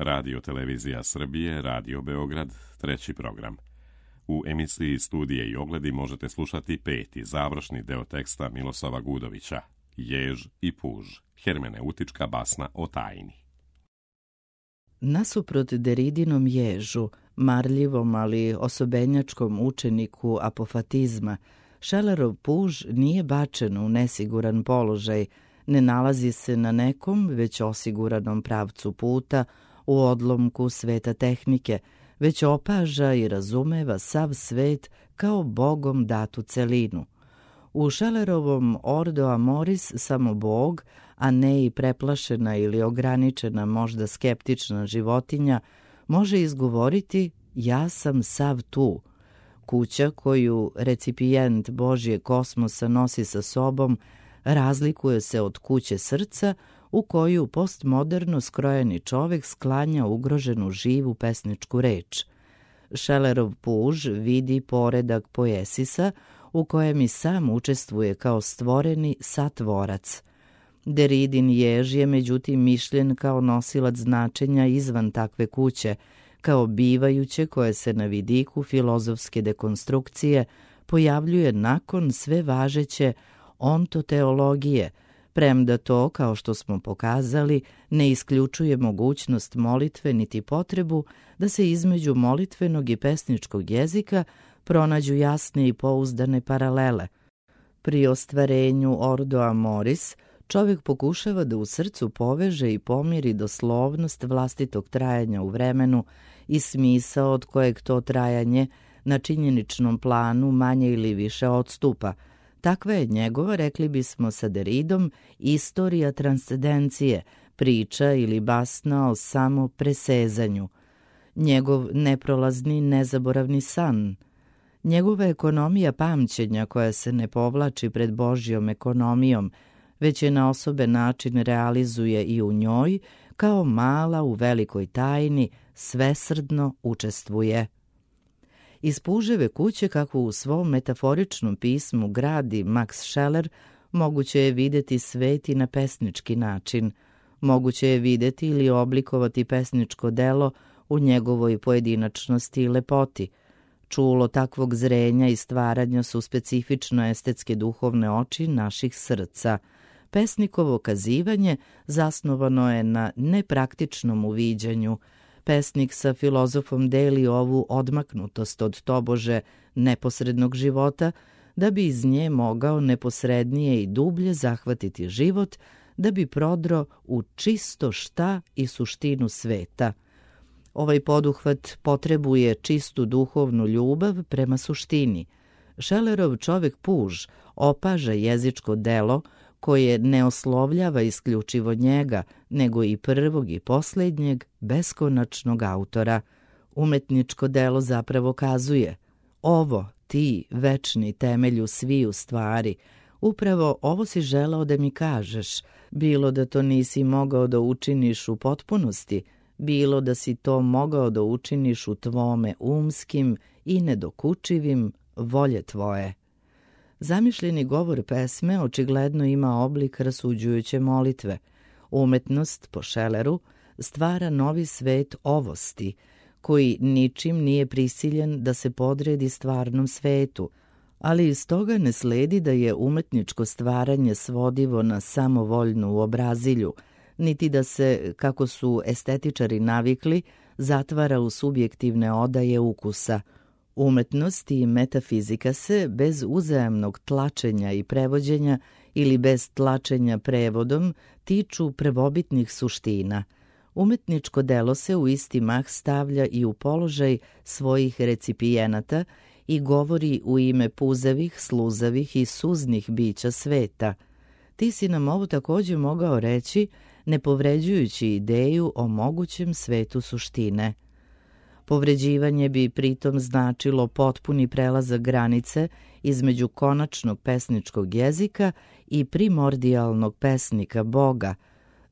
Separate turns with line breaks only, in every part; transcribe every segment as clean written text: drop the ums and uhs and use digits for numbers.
Radio Televizija Srbije, Radio Beograd, treći program. U emisiji Studije i ogledi možete slušati peti, završni deo teksta Miloslava Gudovića, Jež i puž, hermeneutička basna o tajni.
Nasuprot Deridinom ježu, marljivom ali osobenjačkom učeniku apofatizma, Šelerov puž nije bačen u nesiguran položaj, ne nalazi se na nekom već osiguranom pravcu puta, u odlomku sveta tehnike, već opaža i razumeva sav svet kao Bogom datu celinu. U Šelerovom Ordo Amoris samo Bog, a ne i preplašena ili ograničena možda skeptična životinja, može izgovoriti ja sam sav tu. Kuća koju recipijent Božje kosmosa nosi sa sobom razlikuje se od kuće srca u koju postmoderno skrojeni čovek sklanja ugroženu živu pesničku reč. Šelerov puž vidi poredak poesisa u kojem i sam učestvuje kao stvoreni satvorac. Deridin jež je međutim mišljen kao nosilac značenja izvan takve kuće, kao bivajuće koje se na vidiku filozofske dekonstrukcije pojavljuje nakon sve važeće ontoteologije, premda to, kao što smo pokazali, ne isključuje mogućnost molitve niti potrebu da se između molitvenog i pesničkog jezika pronađu jasne i pouzdane paralele. Pri ostvarenju Ordo Amoris čovjek pokušava da u srcu poveže i pomiri doslovnost vlastitog trajanja u vremenu i smisao od kojeg to trajanje na činjeničnom planu manje ili više odstupa. Takva je njegova, rekli bismo sa Deridom, istorija transcendencije, priča ili basna o samo presezanju. Njegov neprolazni, nezaboravni san. Njegova ekonomija pamćenja koja se ne povlači pred Božjom ekonomijom, već je na osoben način realizuje i u njoj, kao mala u velikoj tajni, svesrdno učestvuje. Iz puževe kuće, kako u svom metaforičnom pismu gradi Max Scheler, moguće je videti svet i na pesnički način. Moguće je videti ili oblikovati pesničko delo u njegovoj pojedinačnosti i lepoti. Čulo takvog zrenja i stvaranja su specifično estetske duhovne oči naših srca. Pesnikovo kazivanje zasnovano je na nepraktičnom uviđanju. Pesnik sa filozofom deli ovu odmaknutost od tobože neposrednog života, da bi iz nje mogao neposrednije i dublje zahvatiti život, da bi prodro u čisto šta i suštinu sveta. Ovaj poduhvat potrebuje čistu duhovnu ljubav prema suštini. Šelerov čovek puž opaža jezičko delo koje ne oslovljava isključivo njega, nego i prvog i posljednjeg beskonačnog autora. Umetničko delo zapravo kazuje: ovo, ti, večni temelju sviju stvari, upravo ovo si želeo da mi kažeš, bilo da to nisi mogao da učiniš u potpunosti, bilo da si to mogao da učiniš u tvome umskim i nedokučivim volje tvoje. Zamišljeni govor pesme očigledno ima oblik rasuđujuće molitve. Umetnost, po Šeleru, stvara novi svet ovosti, koji ničim nije prisiljen da se podredi stvarnom svetu, ali iz toga ne sledi da je umetničko stvaranje svodivo na samovoljnu uobrazilju, niti da se, kako su estetičari navikli, zatvara u subjektivne odaje ukusa. Umetnost i metafizika se, bez uzajamnog tlačenja i prevođenja ili bez tlačenja prevodom, tiču prvobitnih suština. Umetničko delo se u isti mah stavlja i u položaj svojih recipijenata i govori u ime puzavih, sluzavih i suznih bića sveta. Ti si nam ovo također mogao reći, ne povređujući ideju o mogućem svetu suštine. Povređivanje bi pritom značilo potpuni prelazak granice između konačnog pesničkog jezika i primordijalnog pesnika Boga.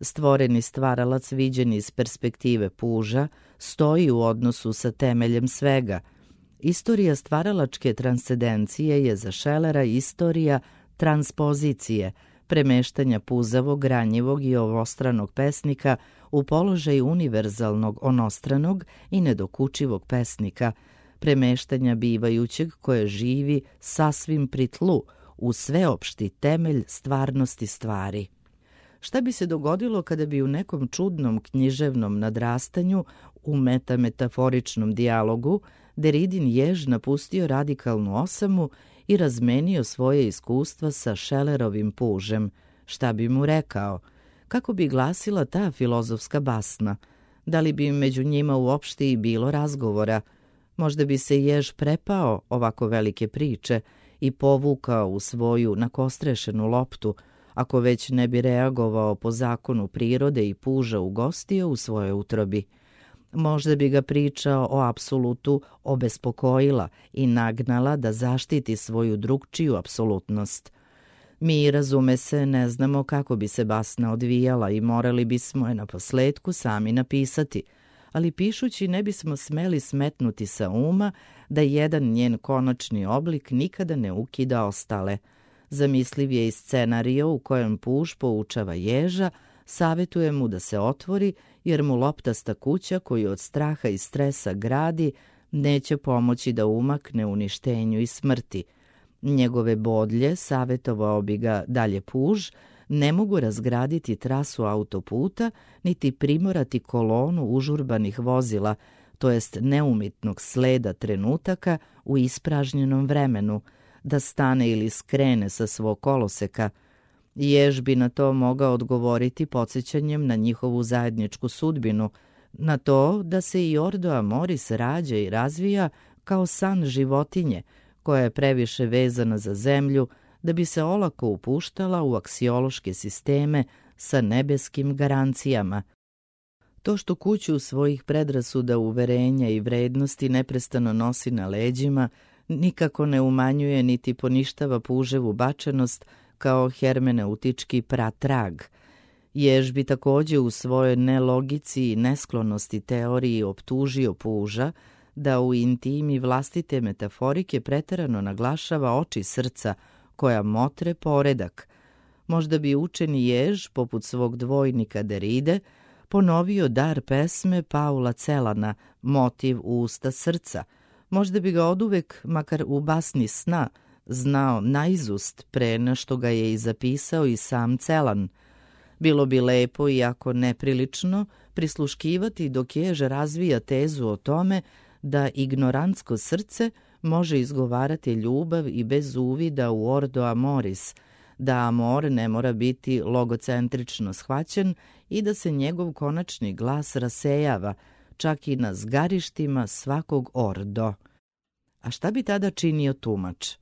Stvoreni stvaralac viđen iz perspektive puža stoji u odnosu sa temeljem svega. Istorija stvaralačke transcendencije je za Šelera istorija transpozicije, premeštanja puzavog, ranjivog i ovostranog pesnika u položaj univerzalnog, onostranog i nedokučivog pesnika, premeštanja bivajućeg koje živi sasvim pri tlu, u sveopšti temelj stvarnosti stvari. Šta bi se dogodilo kada bi u nekom čudnom književnom nadrastanju, u metametaforičnom dijalogu, Deridin jež napustio radikalnu osamu i razmenio svoje iskustva sa Schillerovim pužem? Šta bi mu rekao? Kako bi glasila ta filozofska basna? Da li bi među njima uopšte i bilo razgovora? Možda bi se jež prepao ovako velike priče i povukao u svoju nakostrešenu loptu, ako već ne bi reagovao po zakonu prirode i puža ugostio u svojoj utrobi. Možda bi ga priča o apsolutu obespokojila i nagnala da zaštiti svoju drugčiju apsolutnost. Mi, razume se, ne znamo kako bi se basna odvijala i morali bismo je naposletku sami napisati, ali pišući ne bismo smeli smetnuti sa uma da jedan njen konačni oblik nikada ne ukida ostale. Zamisliv je i scenario u kojem puž poučava ježa, savjetuje mu da se otvori, jer mu loptasta kuća koju od straha i stresa gradi neće pomoći da umakne uništenju i smrti. Njegove bodlje, savjetovao bi ga dalje puž, ne mogu razgraditi trasu autoputa niti primorati kolonu užurbanih vozila, to jest neumitnog sleda trenutaka u ispražnjenom vremenu, da stane ili skrene sa svog koloseka. Jež bi na to mogao odgovoriti podsjećanjem na njihovu zajedničku sudbinu, na to da se i Ordo Amoris rađa i razvija kao san životinje, koja je previše vezana za zemlju da bi se olako upuštala u aksiološke sisteme sa nebeskim garancijama. To što kuću svojih predrasuda, uverenja i vrednosti neprestano nosi na leđima, nikako ne umanjuje niti poništava puževu bačenost kao hermeneutički pratrag. Jež bi također u svojoj nelogici i nesklonosti teoriji optužio puža da u intimi vlastite metaforike preterano naglašava oči srca koja motre poredak. Možda bi učeni jež, poput svog dvojnika Deride, ponovio dar pesme Paula Celana, motiv usta srca. Možda bi ga oduvek, makar u basni sna, znao naizust pre na što ga je i zapisao i sam Celan. Bilo bi lepo, iako neprilično, prisluškivati dok jež razvija tezu o tome da ignorantsko srce može izgovarati ljubav i bez uvida u Ordo Amoris, da amor ne mora biti logocentrično shvaćen i da se njegov konačni glas rasejava, čak i na zgarištima svakog ordo. A šta bi tada činio tumač?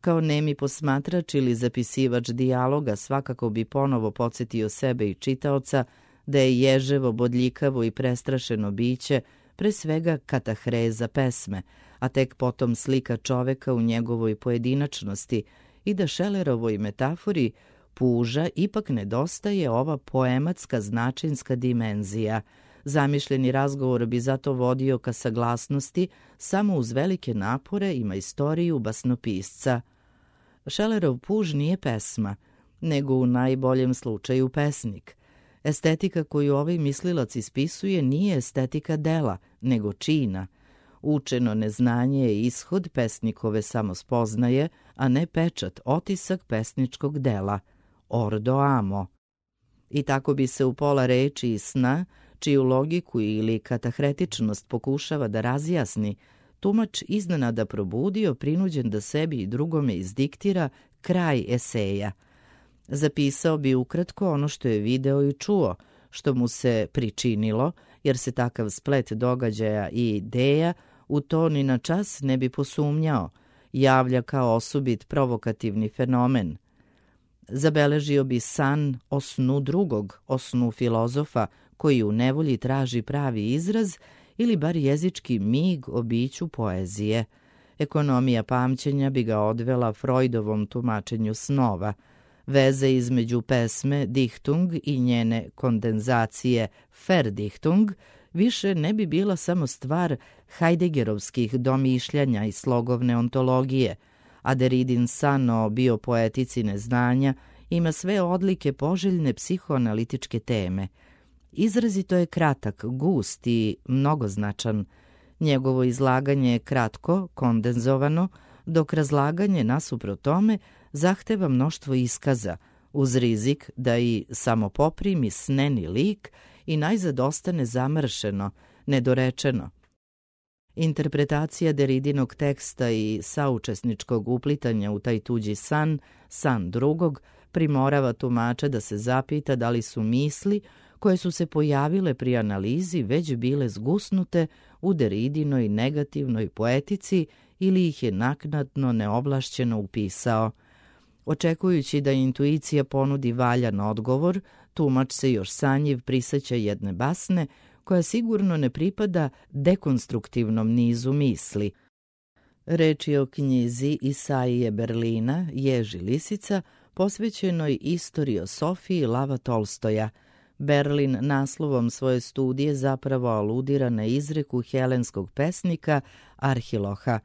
Kao nemi posmatrač ili zapisivač dijaloga svakako bi ponovo podsjetio sebe i čitaoca da je ježevo, bodljikavo i prestrašeno biće pre svega katahreza pesme, a tek potom slika čoveka u njegovoj pojedinačnosti i da Schillerovoj metafori puža ipak nedostaje ova poematska značinska dimenzija. Zamišljeni razgovor bi zato vodio ka saglasnosti samo uz velike napore i majstoriju basnopisca. Schillerov puž nije pesma, nego u najboljem slučaju pesnik. Estetika koju ovaj mislilac ispisuje nije estetika dela, nego čina. Učeno neznanje je ishod pesnikove samospoznaje, a ne pečat, otisak pesničkog dela. Ordo amo. I tako bi se u pola reči i sna, čiju logiku ili katahretičnost pokušava da razjasni, tumač iznenada probudio, prinuđen da sebi i drugome izdiktira kraj eseja. Zapisao bi ukratko ono što je video i čuo, što mu se pričinilo, jer se takav splet događaja i ideja u to ni na čas ne bi posumnjao, javlja kao osobit provokativni fenomen. Zabeležio bi san o snu drugog, o snu filozofa, koji u nevolji traži pravi izraz ili bar jezički mig o biću poezije. Ekonomija pamćenja bi ga odvela Freudovom tumačenju snova. Veze između pesme Dichtung i njene kondenzacije Verdichtung više ne bi bila samo stvar Heideggerovskih domišljanja i slogovne ontologije, a Deridin san o biopoetici neznanja ima sve odlike poželjne psihoanalitičke teme. Izrazito je kratak, gust i mnogoznačan. Njegovo izlaganje je kratko, kondenzovano, dok razlaganje nasuprot tome zahteva mnoštvo iskaza, uz rizik da i samo poprimi sneni lik i najzad ostane zamršeno, nedorečeno. Interpretacija Derridinog teksta i saučesničkog uplitanja u taj tuđi san, san drugog, primorava tumača da se zapita da li su misli koje su se pojavile pri analizi već bile zgusnute u Derridinoj negativnoj poetici ili ih je naknadno neovlašćeno upisao. Očekujući da intuicija ponudi valjan odgovor, tumač se još sanjiv priseća jedne basne koja sigurno ne pripada dekonstruktivnom nizu misli. Reč je o knjizi Isaije Berlina, Jež i lisica, posvećenoj istoriosofiji Lava Tolstoja. Berlin naslovom svoje studije zapravo aludira na izreku helenskog pesnika Arhiloha.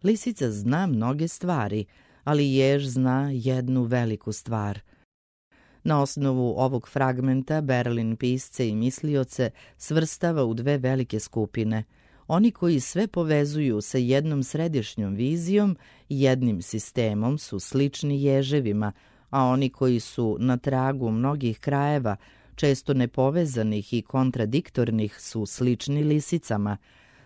Lisica zna mnoge stvari, ali jež zna jednu veliku stvar. Na osnovu ovog fragmenta Berlin pisce i mislioce svrstava u dve velike skupine. Oni koji sve povezuju sa jednom središnjom vizijom i jednim sistemom su slični ježevima, a oni koji su na tragu mnogih krajeva, često nepovezanih i kontradiktornih, su slični lisicama.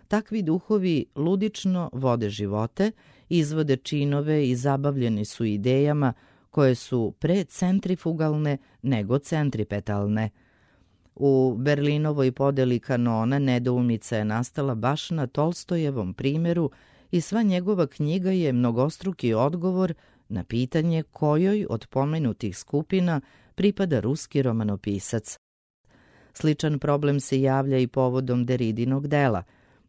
Takvi duhovi ludično vode živote, izvode činove i zabavljeni su idejama koje su pre centrifugalne nego centripetalne. U Berlinovoj podeli kanona nedoumica je nastala baš na Tolstojevom primjeru i sva njegova knjiga je mnogostruki odgovor na pitanje kojoj od pomenutih skupina pripada ruski romanopisac. Sličan problem se javlja i povodom Derridinog dela.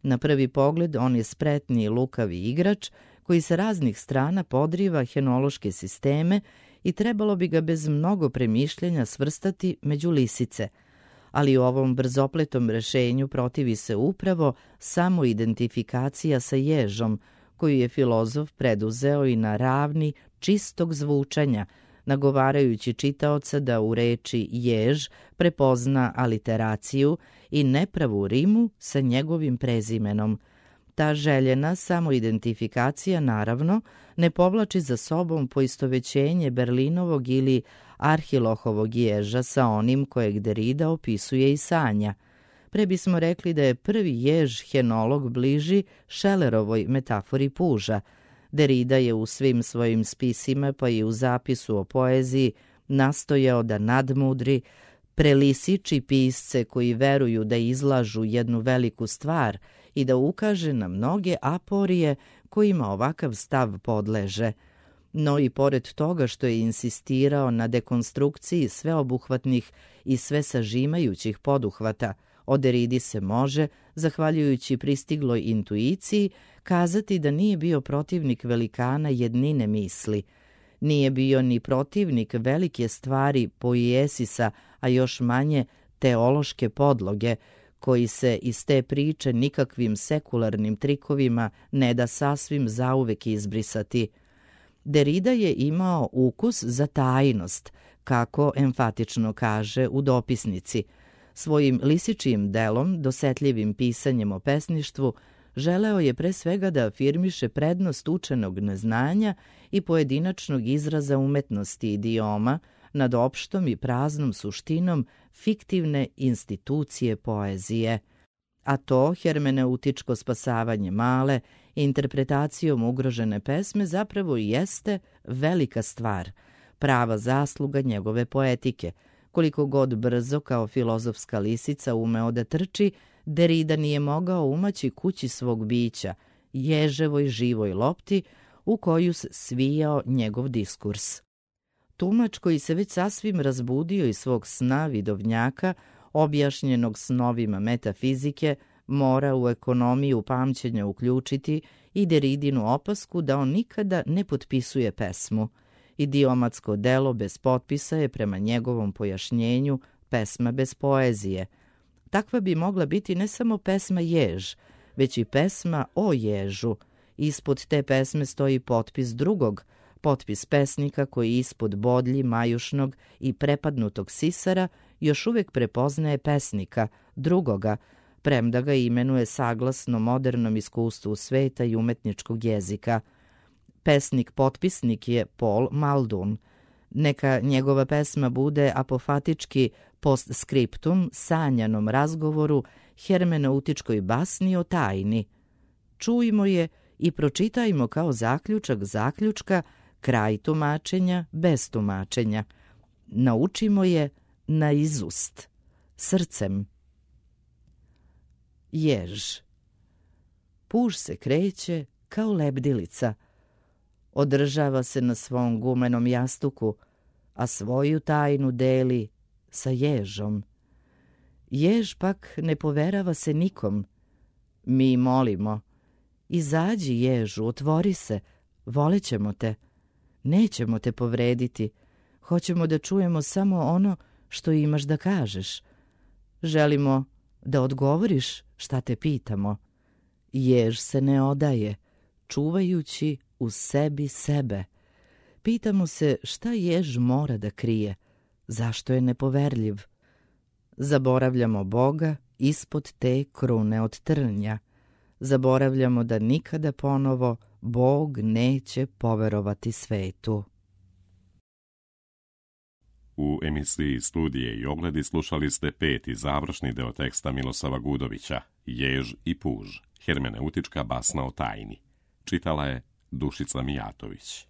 Na prvi pogled on je spretni i lukavi igrač koji sa raznih strana podriva henološke sisteme i trebalo bi ga bez mnogo premišljenja svrstati među lisice. Ali u ovom brzopletom rešenju protivi se upravo samo identifikacija sa ježom, koju je filozof preduzeo i na ravni čistog zvučanja, nagovarajući čitaoca da u reči jež prepozna aliteraciju i nepravu rimu sa njegovim prezimenom. Ta željena samoidentifikacija, naravno, ne povlači za sobom poistovećenje Berlinovog ili Arhilohovog ježa sa onim kojeg Derrida opisuje i sanja. Pre bismo rekli da je prvi jež henolog bliži Schellerovoj metafori puža. Derrida je u svim svojim spisima, pa i u zapisu o poeziji, nastojao da nadmudri, prelisiči pisce koji veruju da izlažu jednu veliku stvar i da ukaže na mnoge aporije kojima ovakav stav podleže. No i pored toga što je insistirao na dekonstrukciji sveobuhvatnih i sve sažimajućih poduhvata, o Derridi se može, zahvaljujući pristigloj intuiciji, kazati da nije bio protivnik velikana jednine misli. Nije bio ni protivnik velike stvari poiesisa, a još manje teološke podloge, koji se iz te priče nikakvim sekularnim trikovima ne da sasvim zauvek izbrisati. Derrida je imao ukus za tajnost, kako emfatično kaže u dopisnici. Svojim lisičijim delom, dosetljivim pisanjem o pesništvu, želeo je pre svega da afirmiše prednost učenog neznanja i pojedinačnog izraza umetnosti idioma nad opštom i praznom suštinom fiktivne institucije poezije. A to hermeneutičko spasavanje male, interpretacijom ugrožene pesme zapravo i jeste velika stvar, prava zasluga njegove poetike. Koliko god brzo kao filozofska lisica umeo da trči, Derrida nije mogao umaći kući svog bića, ježevoj živoj lopti u koju se svijao njegov diskurs. Tumač koji se već sasvim razbudio iz svog sna vidovnjaka, objašnjenog snovima metafizike, mora u ekonomiju pamćenja uključiti i Derridinu opasku da on nikada ne potpisuje pesmu. Idiomatsko delo bez potpisa je prema njegovom pojašnjenju pesma bez poezije. Takva bi mogla biti ne samo pesma jež, već i pesma o ježu. Ispod te pesme stoji potpis drugog, Potpis pesnika koji ispod bodlji majušnog i prepadnutog sisara još uvijek prepoznaje pesnika, drugoga, premda ga imenuje saglasno modernom iskustvu sveta i umetničkog jezika. Pesnik-potpisnik je Paul Muldoon. Neka njegova pesma bude apofatički postscriptum sanjanom razgovoru, hermeneutičkoj basni o tajni. Čujmo je i pročitajmo kao zaključak zaključka, kraj tumačenja bez tumačenja. Naučimo je na izust, srcem. Jež. Puž se kreće kao lebdilica. Održava se na svom gumenom jastuku, a svoju tajnu deli sa ježom. Jež pak ne poverava se nikom. Mi molimo: izađi ježu, otvori se, volećemo te. Nećemo te povrediti, hoćemo da čujemo samo ono što imaš da kažeš. Želimo da odgovoriš šta te pitamo. Jež se ne odaje, čuvajući u sebi sebe. Pitamo se šta jež mora da krije, zašto je nepoverljiv. Zaboravljamo Boga ispod te krune od trnja. Zaboravljamo da nikada ponovo Bog neće poverovati svetu.
U emisiji Studije i ogledi slušali ste 5. završni deo teksta Miloslava Gudovića, Jež i puž, hermeneutička basna o tajni. Čitala je Dušica Mijatović.